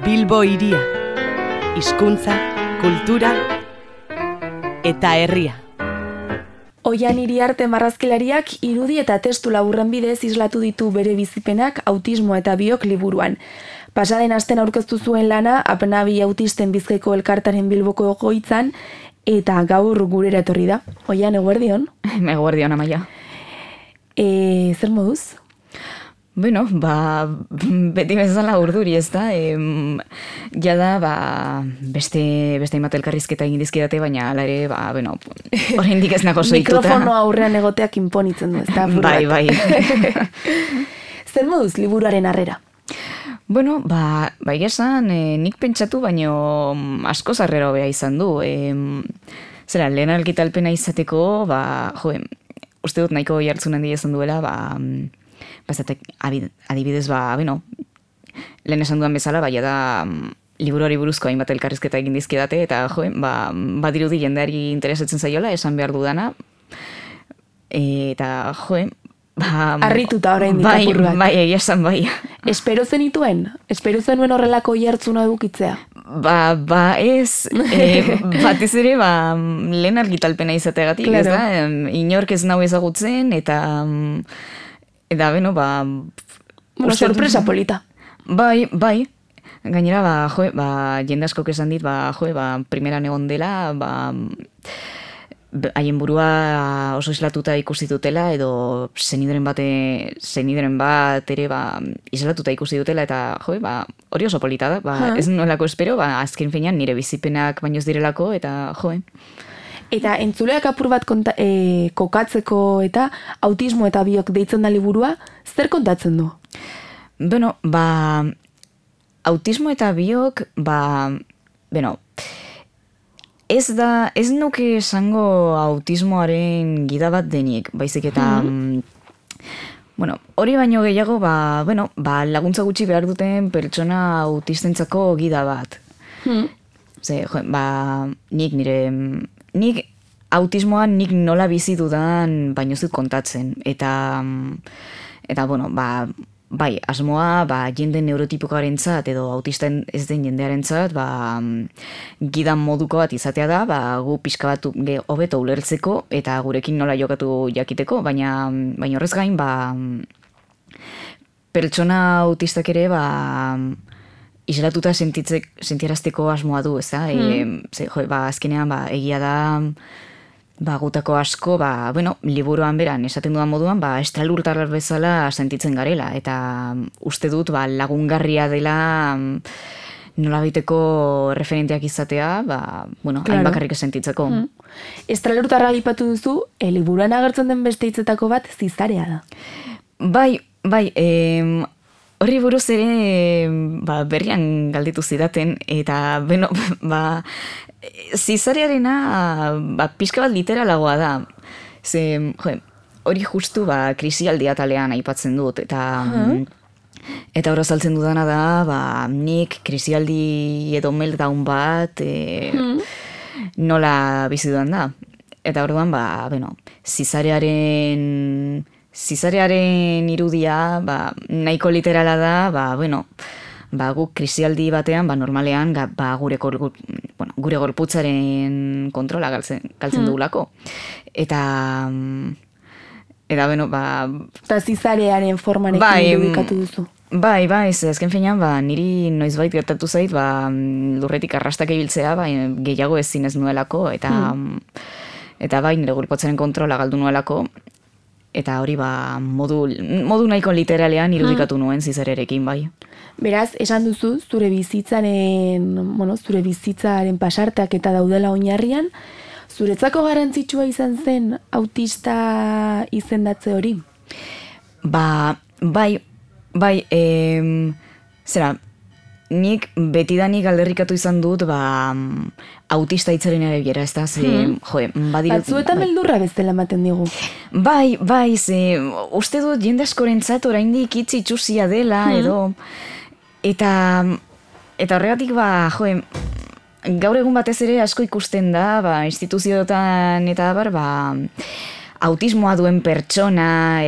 Bilbo hiria, hizkuntza, kultura eta herria. Oian Iriarte marrazkilariak irudi eta testu laburren bidez islatu ditu bere bizipenak autismo eta biok liburuan. Pasaden asten aurkeztu zuen lana Apnabi autisten Bizkaiko elkartaren Bilboko egoitzan eta gaur gurera etorri da. Oian, eguerdion? Eguerdion, Amaia. Zer moduz? Bueno, beti bezala urduri, ez da? Jada, beste hainbat elkarrizketa egin dizkidate, baina ala ere, oraindik ez nago soituta. Mikrofono aurrean egoteak inponitzen du, ez da? Bai. Zer moduz liburuaren harrera? Bueno, bai esan, nik pentsatu, baino asko zarrera hobea izan du. Zera, lehen argitalpena izateko, uste dut nahiko jartzen handi izan duela, adibidez, lehen esan duan bezala, da liburuari buruzko hainbat elkarrizketa egin dizkidate, eta badirudi jendeari interesatzen zaiola, esan behar dudana, eta harrituta orain ditapur bat. Bai, egia esan bai. Espero zenituen? Espero zenuen horrelako jartzuna edukitzea? Ez, batez ere, lehen argitalpena izateagatik, claro. Ez da? Inork ez nau ezagutzen, eta sorpresa polita. Bai. Gainera, jende askok esan dit, primeran egon dela, haien burua oso islatuta ikusi dutela, edo zenideren bat ere islatuta ikusi dutela, eta hori oso polita da, ez nolako espero, azken finean nire bizipenak baino ez direlako, eta Eta entzuleak apur bat kokatzeko eta autismo eta biok deitzen da liburua, zer kontatzen du? Bueno, autismo eta biok, ez nuke esango autismoaren gida bat denik, baizik eta, hori baino gehiago, laguntza gutxi behar duten pertsona autistentzako gida bat. Nik autismoan nik nola bizi dudan baino zut kontatzen. Eta asmoa, jende neurotipikoarentzat edo autisten ez den jendearentzat, gidan moduko bat izatea da, gu pixka bat hobeto ulertzeko eta gurekin nola jokatu jakiteko, baina horrez gain, pertsona autistak ere, islatuta sentiarazteko asmoa du, ez da? Azkenean, egia da, gutako asko, liburuan beran, esaten dudan moduan, estralurtar bezala sentitzen garela, eta uste dut, lagungarria dela nolabaiteko referenteak izatea, hain bakarrik sentitzeko. Estralurtarra aipatu duzu, liburuan agertzen den beste hitzetako bat zizarea da. Bai, horri buruz ere berrian galditu zidaten, eta zizarearena pixka bat literalagoa da. Hori justu krisialdi atalean aipatzen dut, eta hor azaltzen dudana da, nik krisialdi edo meltdown bat nola bizi dudan da. Eta orduan, zizarearen irudia, nahiko literala da, guk krisialdi batean, normalean, gure gorputzaren kontrola galtzen dugulako. Eta, Eta zizarearen formarekin irudikatu duzu. Bai, azken finean, niri noizbait gertatu zait, lurretik arrastak ibiltzea, gehiago ezin ez nuelako, eta nire gorputzaren kontrola galdu nuelako, eta hori modu nahiko literalean irudikatu nuen zizarearekin, bai. Beraz, esan duzu, zure bizitzaren pasarteak eta daudela oinarrian, zuretzako garrantzitsua izan zen autista izendatze hori? Bai, nik betidanik alderrikatu izan dut, autista hitzaren erabilera, ez da, batzuetan beldurra bezala ematen digu. Bai, uste dut jende askorentzat oraindik hitz itxusia dela, edo, eta horregatik, gaur egun batez ere asko ikusten da, instituzioetan eta autismoa duen pertsona,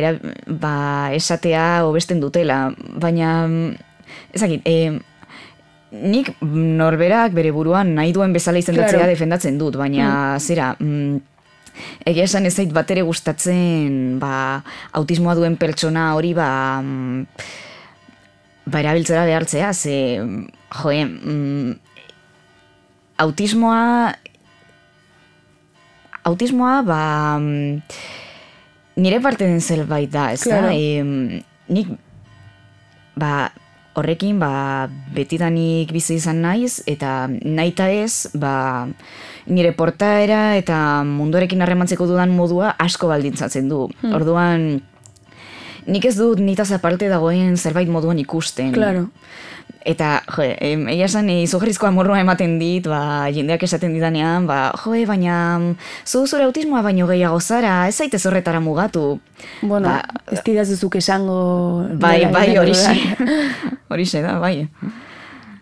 esatea hobesten dutela, baina, ezakit, nik norberak bere buruan nahi duen bezala izendatzea Claro. defendatzen dut, baina zera, egia esan ez zait bat ere gustatzen autismoa duen pertsona hori erabiltzera behartzea, ze autismoa nire parte den zerbait da, ez da? Claro. Nik horrekin betidanik bizi izan naiz, eta nahita ez, nire portaera eta munduarekin harremantzeko dudan modua asko baldintzatzen du. Orduan, nik ez dut nitaz aparte dagoen zerbait moduan ikusten. Claro. Eta, egia esan, izugarrizko amorroa ematen dit, jendeak esaten didanean, baina zure autismoa baino gehiago zara, ez zaitez horretara mugatu. Bueno, ez didazuzuk esango... Bai, horixe da, bai.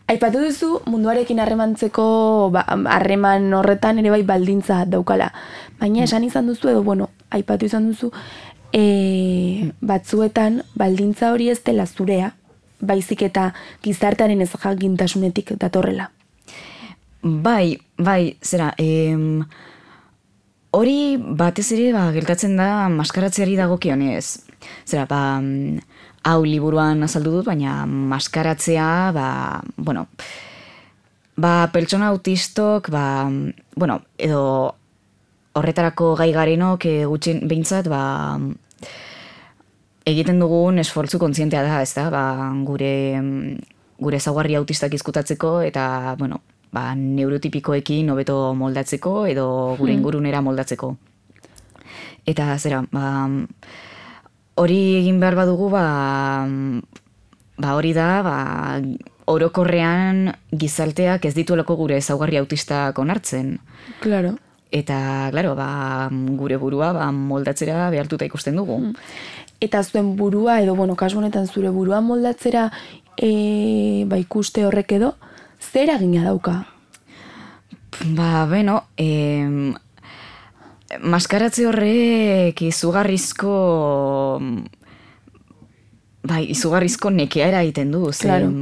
Aipatu duzu munduarekin harremantzeko harreman horretan ere bai baldintza daukala. Baina esan izan duzu edo, aipatu izan duzu, batzuetan baldintza hori ez dela zurea, baizik eta gizartearen ezjakintasunetik datorrela. Bai, zera, hori batez ere gertatzen da maskaratzeari dagokionez. Zera, hau liburuan azaldu dut, baina maskaratzea, pertsona autistok, edo horretarako gai garenok gutxien behintzat, egiten dugun esfortzu kontzientea da, ez da, gure ezaugarri autistak izkutatzeko eta, neurotipikoekin hobeto moldatzeko edo gure ingurunera moldatzeko. Eta, zera, hori egin behar badugu, hori da, orokorrean gizarteak ez dituelako gure ezaugarri autistak onartzen. Claro. Eta, claro, gure burua moldatzera behartuta ikusten dugu. Eta zuen burua, edo, kasu honetan zure burua moldatzera ikuste horrek edo, zer eragina dauka? Maskaratze horrek izugarrizko nekea eragiten du. Claro.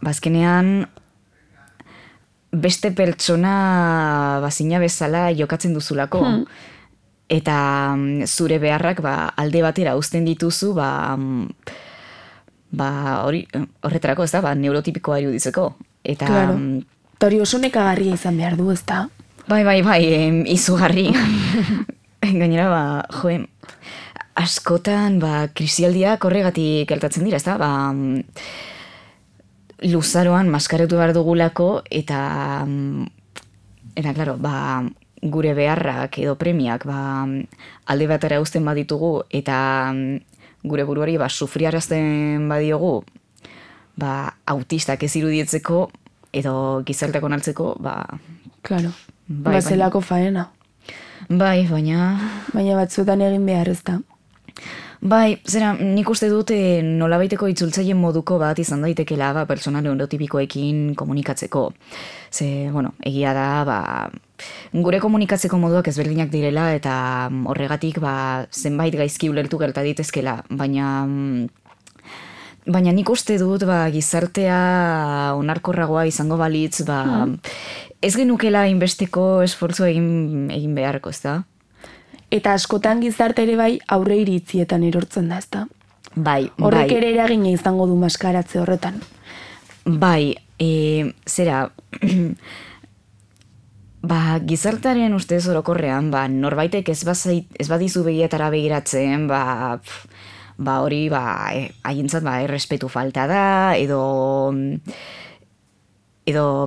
Azkenean, beste pertsona bazina bezala jokatzen duzulako. Eta zure beharrak alde batera uzten dituzu, horretarako, ez da, neurotipikoa iruditzeko. Eta... Claro. Hori oso nekagarria izan behar du, ez da? Bai, izugarri. Gainera, askotan, krisialdiak horregatik gertatzen dira, ez da? Luzaroan maskaratu behar dugulako, eta, klaro, gure beharrak edo premiak alde batera uzten baditugu eta gure buruari sufriarazten badiogu autistak ez irudietzeko edo gizarteak onartzeko Claro, zelako faena. Bai, baina batzuetan egin behar ez da. Bai, zera, nik uste dut nolabaiteko itzultzaile moduko bat izan daitekela pertsona neurotipikoekin komunikatzeko. Ze, egia da, gure komunikatzeko moduak ezberdinak direla eta horregatik zenbait gaizki ulertu gerta ditezkela, baina nik uste dut gizartea onarkorragoa izango balitz, ez genukela inbesteko esfortzua egin beharko, ez da? Eta askotan gizarte ere bai aurre iritzietan erortzen da, ez da? Bai. Horrek ere eragina izango du maskaratze horretan. Bai, zera, gizartaren ustez orokorrean, norbaitek ez badizu begietara begiratzen, hori, haientzat, errespetu falta da, edo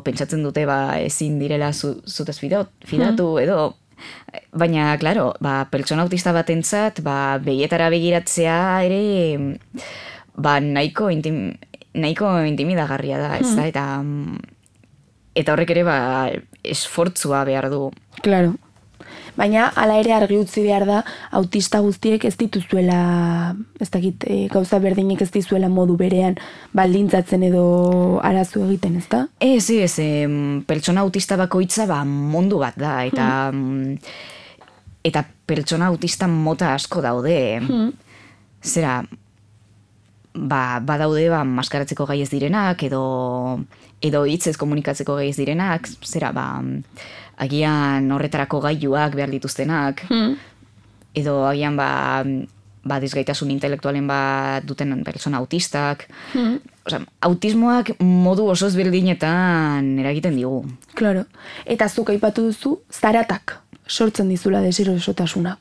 pentsatzen dute, ezin direla zutaz fidatu, edo... Baina, klaro, pertsona autista batentzat, begietara begiratzea ere, nahiko intimidagarria da, ez da, eta horrek ere, esfortzua behar du. Claro. Baina, hala ere argi utzi behar da, autista guztiek ez dituzuela, ez dakit, gauza berdinek ez dizuela modu berean baldintzatzen edo arazu egiten, ez da? Ez, pertsona autista bakoitza mundu bat da, eta pertsona autista mota asko daude. Zera, badaude maskaratzeko gai ez direnak, edo hitzez komunikatzeko gai ez direnak, agian horretarako gailuak behar dituztenak, edo agian desgaitasun intelektualen duten pertsona autistak. Autismoak modu oso ezberdinetan eragiten digu. Claro. Eta zuk aipatu duzu, zaratak sortzen dizula deserosotasunak.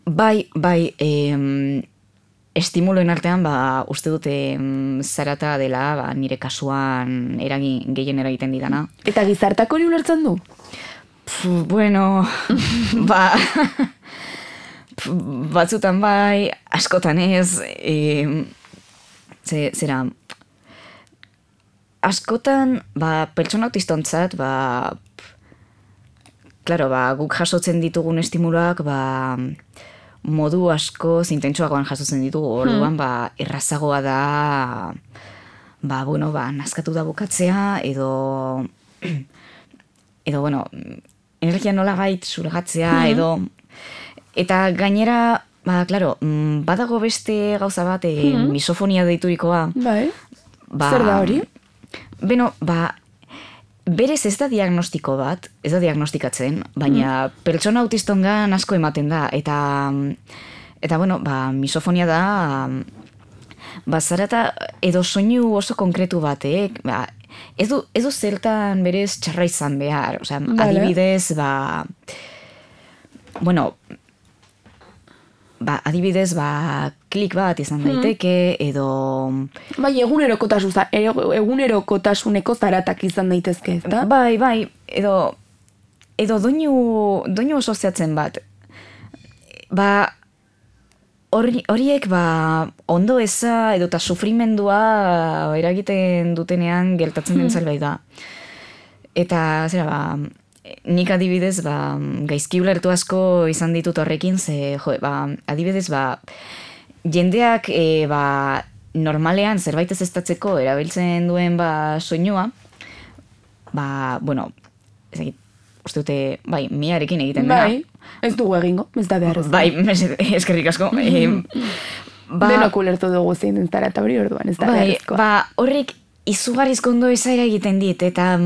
Bai, estimuloen artean, uste dute zarata dela, nire kasuan gehien eragiten didana. Eta gizartak hori ulertzen du? Bueno, batzutan bai, askotan ez, zera, askotan, pertsona autistontzat, claro, guk jasotzen ditugun estimuloak, modu asko zintentsuagoan jasotzen ditugu, orduan, errazagoa da, nazkatu da bukatzea, edo, bueno, energia nola gait surgatzea, edo, eta gainera, claro, badago beste gauza bat, misofonia deiturikoa. Bai, zer da hori? Beno, berez ez da diagnostiko bat, ez da diagnostikatzen, baina pertsona autistongan asko ematen da, eta bueno, misofonia da, zarata edo soinu oso konkretu batek, ez du zertan berez txarra izan behar, adibidez, bueno, adibidez, klik bat izan daiteke, edo... Bai, egunerokotasuneko zaratak izan daitezke, ez da? Bai, edo doinu oso zehatzen bat. Horiek, ondo eza, edo eta sufrimendua eragiten dutenean gertatzen den zerbait da. Eta, zera, nik adibidez, gaizki ulertu asko izan ditut horrekin, ze, adibidez, jendeak, normalean zerbait ez estatzeko erabiltzen duen, soinua, bueno, uste dute, miarekin egiten dena. Bai, ez dugu egingo, ez da behar ez. Bai, eskerrik asko. Denok ulertu dugu zein den zarata hori orduan, ez da behar ezkoa. Horrek izugarrizko ondo ezaira egiten dit, eta...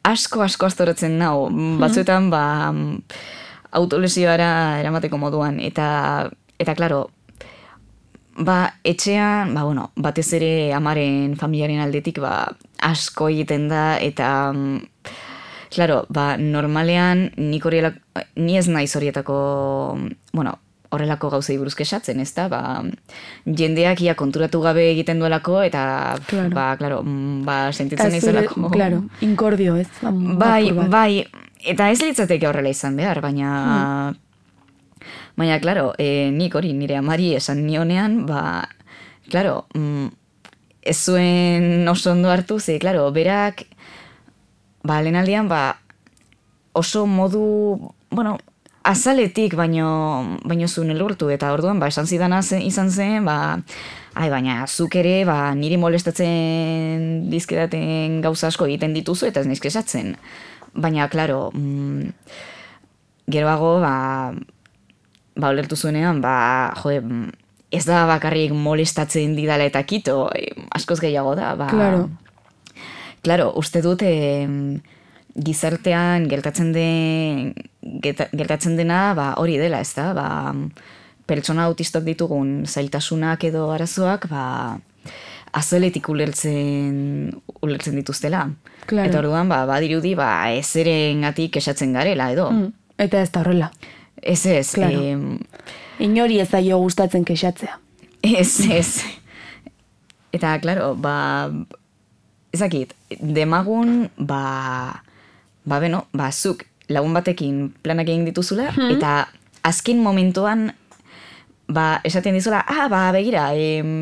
asko astorotzen nau, batzuetan autolesioara eramateko moduan, eta klaro, etxean, batez ere amaren familiaren aldetik, asko egiten da, eta klaro, normalean ni ez naiz horietako, horrelako gauzei buruz kexatzen, ez da, jendeak ia konturatu gabe egiten duelako, eta, klaro, sentitzen izolako. Claro, inkordio, ez? Bai, eta ez litzateke horrela izan behar, baina, klaro, nik hori nire amari esan nionean, klaro, ez zuen oso ondo hartu, ze, klaro, berak, lehenaldian, oso modu, azaletik baino zuen elurtu, eta orduan, esan zidana izan zen, baina zuk ere, niri molestatzen dizkedaten gauza asko egiten dituzu, eta ez nizk esatzen. Baina, klaro, geroago, olertu zuenean, ez da bakarrik molestatzen didala eta kito, askoz gehiago da. Claro, uste dut, gizartean gertatzen dena hori dela, ez da, pertsona autistok ditugun zailtasunak edo arazoak, azaletik ulertzen dituztela. Claro. Eta orduan, badirudi, ezerengatik esatzen garela, edo. Eta ez da horrela. Ez. Claro. Inori ez zaio gustatzen kexatzea. Ez. Eta, klaro, ezakit, demagun, zuk lagun batekin planak egin dituzula, eta azken momentuan, esaten dizula, begira,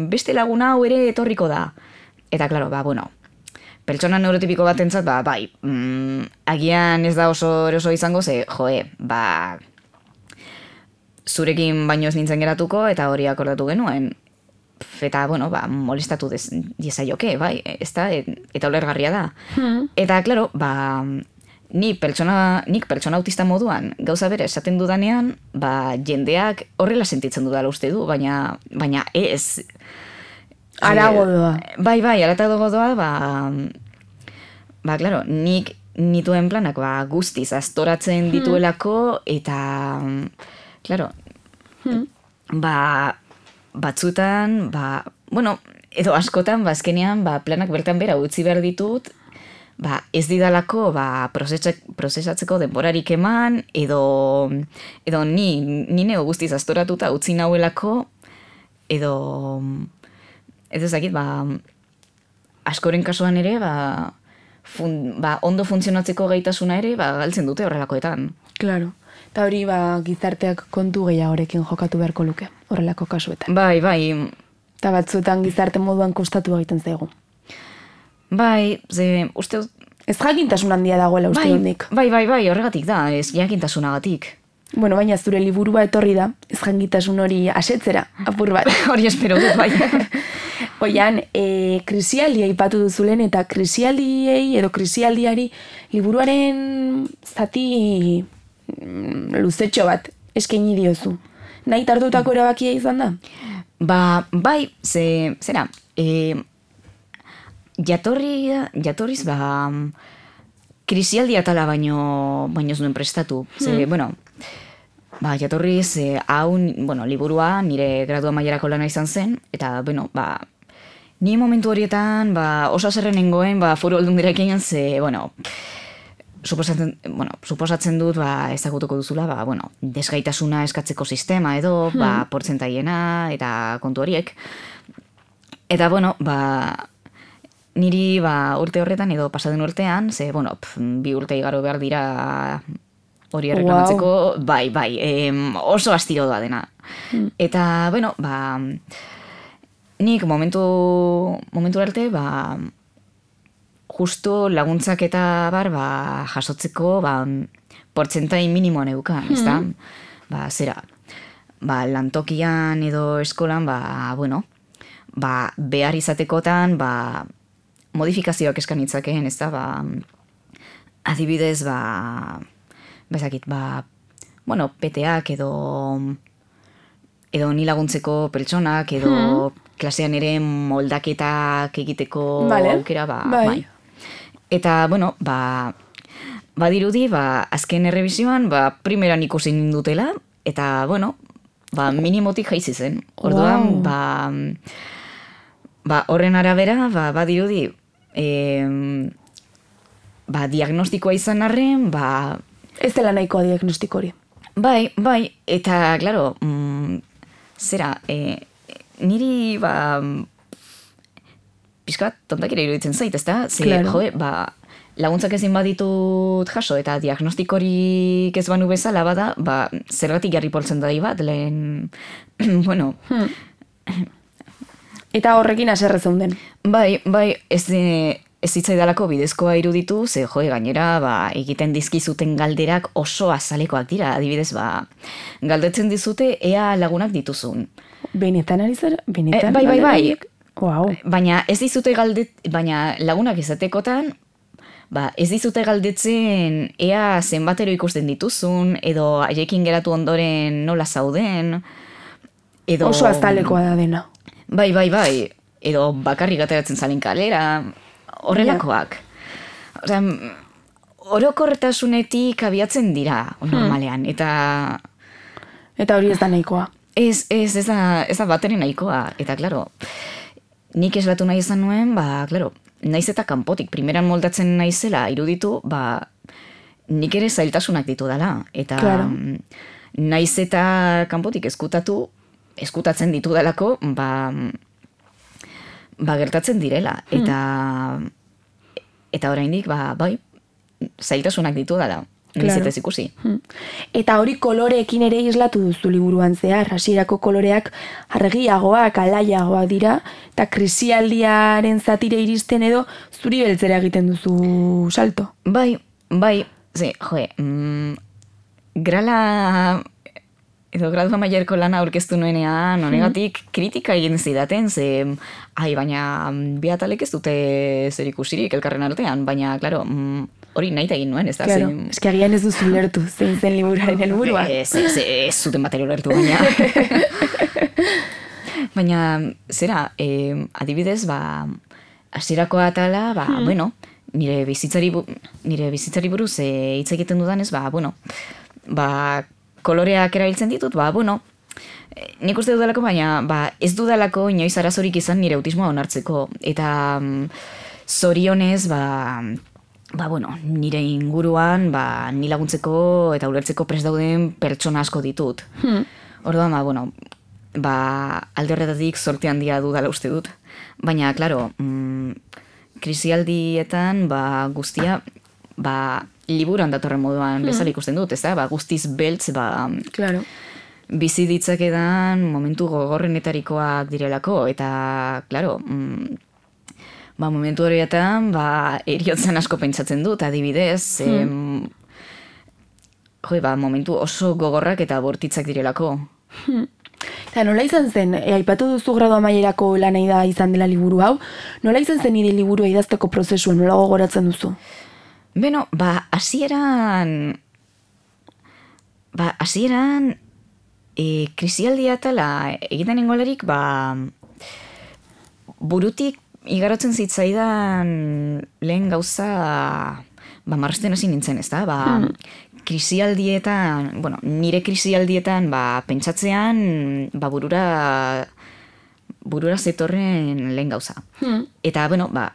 beste laguna hau ere etorriko da. Eta, klaro, pertsona neurotipiko batentzat, agian ez da oso eroso izango, ze, zurekin baino ez nintzen geratuko, eta hori akordatu genuen. Eta, molestatu diezaioke, ez da, eta ulergarria da. Eta, klaro, nik pertsona autista moduan gauza bere esaten dudanean, jendeak horrela sentitzen dudala uste du, baina ez. Arago doa. Bai, aratago doa, claro, nik nituen planak guztiz astoratzen dituelako, eta, claro, batzutan, edo askotan, azkenean, planak bertan bera utzi behar ditut, ez didalako prozesatzeko denborarik eman, edo ni neo guztiz astoratuta utzi nauelako, edo ezakit, askoren kasuan ere, ondo funtzionatzeko gaitasuna ere, galtzen dute horrelakoetan. Claro. Eta hori, gizarteak kontu gehiagorekin jokatu beharko luke, horrelako kasuetan. Bai. Eta batzuetan gizarte moduan kostatu egiten zaigu. Bai, uste... Ez jakintasun handia dagoela uste hondik. Bai, horregatik da, ez jakintasunagatik. Bueno, baina zure liburua etorri da, ez jakintasun hori asetzera, apur bat. Hori espero dut, bai. Oian, krisialdia ipatu duzulen, eta krisialdiei edo krisialdiari liburuaren zati luzetxo bat eskaini diozu. Nahi tartutako erabakia izan da? Bai, zera, jatorriz, krisialdia tala baino zuen prestatu. Jatorriz, liburua nire gradua mailarako lana izan zen, eta, ni momentu horietan, oso zerren nengoen, Foru Aldundirekin, suposatzen dut, ezagutuko duzula, desgaitasuna eskatzeko sistema edo, portzentaiena, eta kontu horiek. Eta, niri urte horretan edo pasaden urtean, 2 urte igaro behar dira hori erreklamatzeko, bai, oso astiro doa dena. Eta, nik momentu arte, justo laguntzak eta jasotzeko portzentai minimoan eukan, ez da? Zera, lantokian edo eskolan, behar izatekotan, modifikazioak eskanitzakeen, ez da? Adibidez, PTA-ak edo ni laguntzeko pertsonak, edo klasean ere moldaketak egiteko aukera, bai. Eta, badirudi, azken errebisioan, primeran ikusi nindutela, eta, minimotik jaizi zen. Orduan, horren arabera, badirudi, diagnostikoa izan arren, ez dela nahikoa diagnostiko hori. Bai, eta, klaro, zera, niri, pixkat, tontakira iruditzen zait, ez da? Laguntzak ezin baditut jaso, eta diagnostikorik ez banu bezala bada, zergatik jarri poltzen da bat, lehen, Eta horrekin aserre zeunden. Bai, ez zitzaidalako bidezkoa iruditu, gainera, egiten dizkizuten galderak oso azalekoak dira, adibidez, galdetzen dizute ea lagunak dituzun. Benetan ari zer? Benetan? Bai. Wow. Baina ez dizute baina lagunak izatekotan, ez dizute galdetzen ea zenbatero ikusten dituzun, edo haiekin geratu ondoren nola zauden, edo... Oso azalekoa da dena. Bai, edo bakarrik ateratzen zalen kalera, horrelakoak. Orokortasunetik abiatzen dira, normalean, eta... Eta hori ez da nahikoa. Ez da bateren nahikoa, eta, klaro, nik eslatu nahi izan nuen, klaro, naiz eta kanpotik, primeran moldatzen naizela iruditu, nik ere zailtasunak ditu dela, eta naiz eta kanpotik eskutatzen ditu dalako, gertatzen direla, eta oraindik, bai, zailtasunak ditu dela. Nizetez ikusi. Eta hori koloreekin ere islatu duzu liburuan zehar, hasierako koloreak argiagoak, alaiagoak dira, eta krisialdiaren zatire iristen edo zuri beltzera egiten duzu salto. Bai, grala edo gradua mailerko lana aurkeztu nuenean, honegatik kritika egin zidaten, baina bi atalek ez dute zer ikusirik elkarren artean, baina, klaro, hori nahi egin nuen, ez da? Claro, eski agian ez duzu lertu, zein zen liburaren helburua. Ez zuten batero lertu, baina. Baina, zera, adibidez, hasierako atala, bueno, nire bizitzari buruz hitz egiten dudanez, bueno, koloreak erabiltzen ditut, bueno, nik uste dudalako, baina ez dudalako inoiz arazorik izan nire autismoa onartzeko. Eta zorionez, bueno, nire inguruan, ni laguntzeko eta ulertzeko prest dauden pertsona asko ditut. Orduan, bueno, alde horretatik zorte handia dudala uste dut. Baina, klaro, krisialdietan, guztia, liburuan datorren moduan bezala ikusten dut, ez da? Guztiz beltz, Claro. bizi ditzakedan momentu gogorrenetarikoak direlako, eta, klaro, momentu horietan, eriotzen asko pentsatzen dut, adibidez, momentu oso gogorrak eta bortitzak direlako. Eta nola izan zen, aipatu duzu gradu amaierako lanei da izan dela liburu hau, nola izan zen nire liburua idazteko prozesua, nola gogoratzen duzu? Beno, hasieran krisialdia tala egiten ingolarik, burutik igarotzen zitzaidan lehen gauza, marrazten hasi nintzen, ez da? Krisialdietan, nire krisialdietan, pentsatzean, burura zetorren lehen gauza. Eta,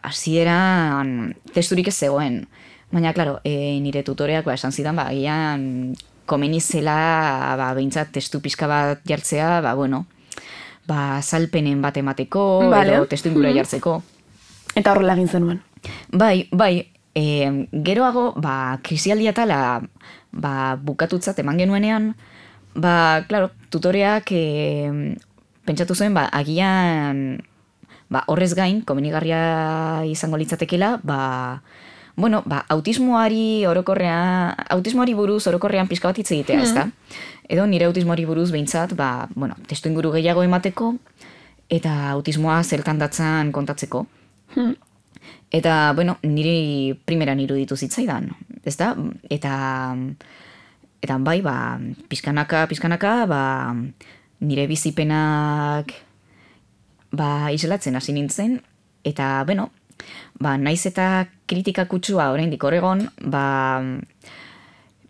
hasieran testurik ez zegoen. Baina, klaro, nire tutoreak esan zidan, agian komeni zela, behintzat testu pixka bat jartzea, salpenen bat emateko, edo testu ingura jartzeko. Eta horrela egin zenuen. Bai, geroago, krisialdia tala, bukatutzat eman genuenean, klaro, tutoreak pentsatu zuen, agian, horrez gain, komenigarria izango litzatekela, autismoari buruz orokorrean pixka bat hitz egitea, ez da? Edo nire autismoari buruz behintzat, testu inguru gehiago emateko, eta autismoa zertan datzan kontatzeko. Eta, niri primeran iruditu zitzaidan, ez da? Eta bai, pixkanaka, nire bizipenak islatzen hasi nintzen, eta, naiz eta kritika kutsua oraindik horregon,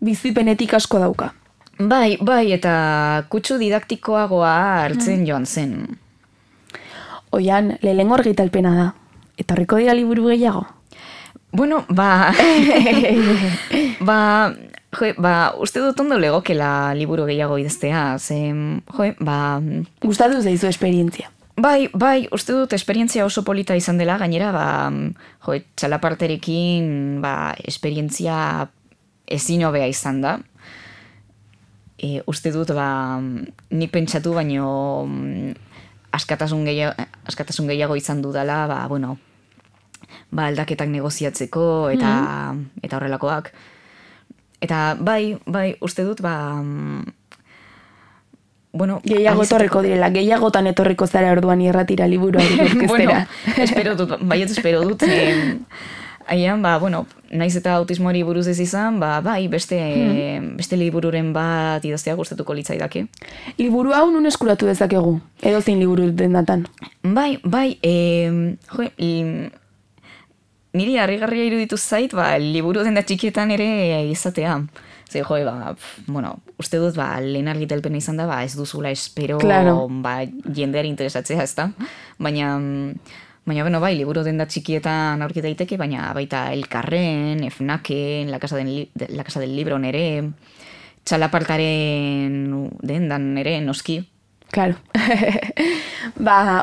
bizipenetik asko dauka. Bai, eta kutsu didaktikoagoa hartzen joan zen. Oian, lehenengo argitalpena da. Etorriko dira liburu gehiago? Bueno, uste dut ondo legokela liburu gehiago idaztea, gustatu zaizu esperientzia. Bai, uste dut esperientzia oso polita izan dela, gainera, txalaparterekin, esperientzia ezin hobea izan da. Uste dut, nik pentsatu, baino askatasun gehiago izan dudala, aldaketak negoziatzeko, eta horrelakoak. Eta bai, uste dut, gehiago etorriko direla, gehiagotan etorriko zara orduan irratira liburuari orkestera. Espero dut. Aian, naiz eta autismoari buruz ez izan, beste libururen bat idaztea gustatuko litzaidake. Liburu hau nun eskuratu dezakegu? Edo zein liburu dendatan? Bai, niri harrigarria iruditu zait, liburu denda txikietan ere izatea. Zer, uste dut, lehen argitalpena izan da, ez duzula espero, jendeari interesatzea, ez da? Baina, liburu denda txikietan aurki daiteke, baina baita Elkarren, Fnaken, La Casa del Libro nere, txalapartaren dendan nere, noski. Claro.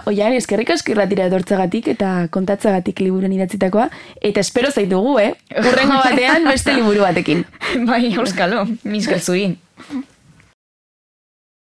Oian, eskerrik asko irratira etortzagatik eta kontatzagatik liburuan idatzitakoa, eta espero zaitugu, Hurrengo batean beste liburu batekin. Bai, euskalo, misker zuri.